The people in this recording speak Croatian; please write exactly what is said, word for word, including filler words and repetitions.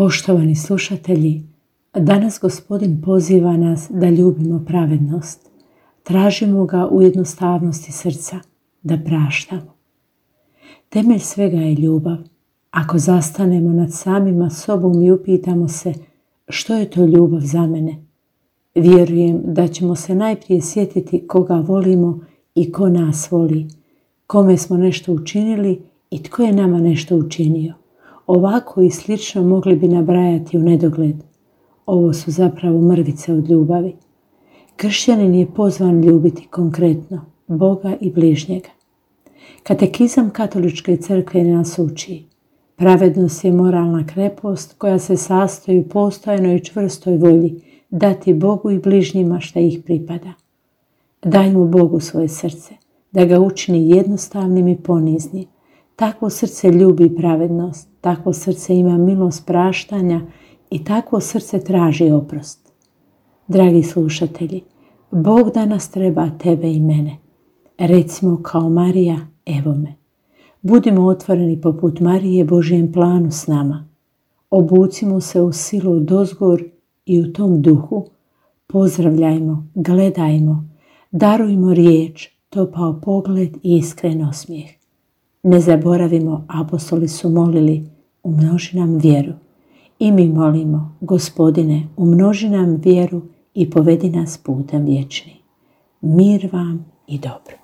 Poštovani slušatelji, danas Gospodin poziva nas da ljubimo pravednost. Tražimo ga u jednostavnosti srca, da praštamo. Temelj svega je ljubav. Ako zastanemo nad samima sobom i upitamo se što je to ljubav za mene, vjerujem da ćemo se najprije sjetiti koga volimo i ko nas voli, kome smo nešto učinili i tko je nama nešto učinio. Ovako i slično mogli bi nabrajati u nedogled. Ovo su zapravo mrvice od ljubavi. Kršćanin je pozvan ljubiti konkretno Boga i bližnjega. Katekizam Katoličke crkve nas uči: pravednost je moralna krepost koja se sastoji u postojanoj i čvrstoj volji dati Bogu i bližnjima šta ih pripada. Dajmo Bogu svoje srce, da ga učini jednostavnim i poniznim. Takvo srce ljubi pravednost, takvo srce ima milost praštanja i takvo srce traži oprost. Dragi slušatelji, Bog danas treba tebe i mene. Recimo kao Marija, evo me. Budimo otvoreni poput Marije Božjem planu s nama. Obucimo se u silu dozgor i u tom duhu pozdravljajmo, gledajmo, darujmo riječ, topao pogled i iskren osmijeh. Ne zaboravimo, apostoli su molili, umnoži nam vjeru. I mi molimo, Gospodine, umnoži nam vjeru i povedi nas putem vječnim. Mir vam i dobro.